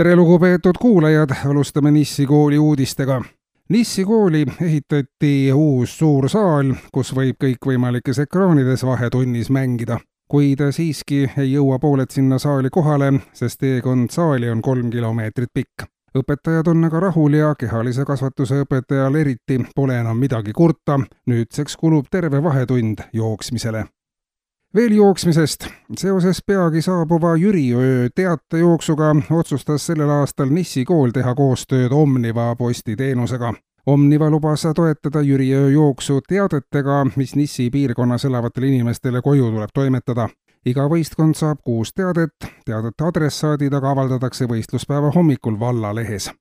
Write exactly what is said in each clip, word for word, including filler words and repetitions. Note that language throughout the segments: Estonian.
Tere lugupeetud kuulajad, alustame Nissi kooli uudistega. Nissi kooli ehitati uus suur saal, kus võib kõikvõimalikes ekraanides vahetunnis mängida. Kuid siiski ei jõua pooled sinna saali kohale, sest teekond saali on kolm kilomeetrit pikk. Õpetajad on aga rahul ja kehalise kasvatuse õpetajal eriti pole enam midagi kurta. Nüüdseks kulub terve vahetund jooksmisele. Veel jooksmisest. Seoses peagi saabuva Jüriöö teatejooksuga otsustas sellel aastal Nissi kool teha koostööd Omniva postiteenusega. Omniva lubas toetada Jüriöö jooksu teadetega, mis Nissi piirkonnas elavatele inimestele koju tuleb toimetada. Iga võistkond saab kuus teadet, teadete adressaadid aga avaldatakse võistluspäeva hommikul vallalehes.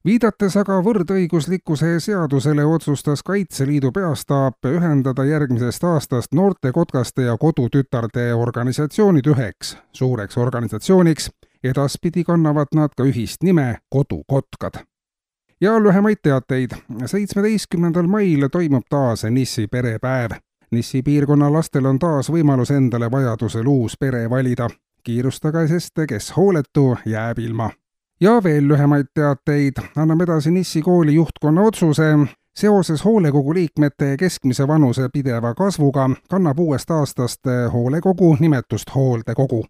Viidates aga võrdõiguslikkuse seadusele otsustas Kaitseliidu peastaap ühendada järgmisest aastast noorte kotkaste ja kodutütarde organisatsioonid üheks suureks organisatsiooniks. Edaspidi kannavad nad ka ühist nime Kodukotkad. Ja lühemaid teateid. seitsmeteistkümnendal mail toimub taas Nissi perepäev. Nissi piirkonna lastel on taas võimalus endale vajadusel uus pere valida. Kiirustage, sest kes hooletu jääb ilma. Ja veel lühemaid teateid. Anname edasi Nissi kooli juhtkonna otsuse. Seoses hoolekogu liikmete keskmise vanuse pideva kasvuga kannab uuest aastast hoolekogu nimetust hooldekogu.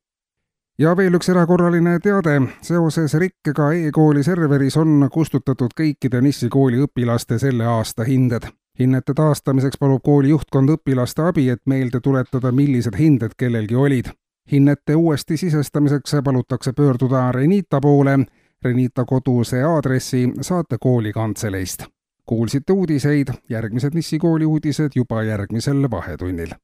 Ja veel üks erakorraline teade. Seoses rikkega e-kooli serveris on kustutatud kõikide Nissi kooli õpilaste selle aasta hinded. Hinnete taastamiseks palub kooli juhtkond õpilaste abi, et meelde tuletada, millised hinded kellelgi olid. Hinnete uuesti sisestamiseks palutakse pöörduda Renita poole. Renita koduse aadressi saate kooli kantseleist. Kuulsite uudiseid, järgmised Nissi kooli uudised juba järgmisel vahetunnil.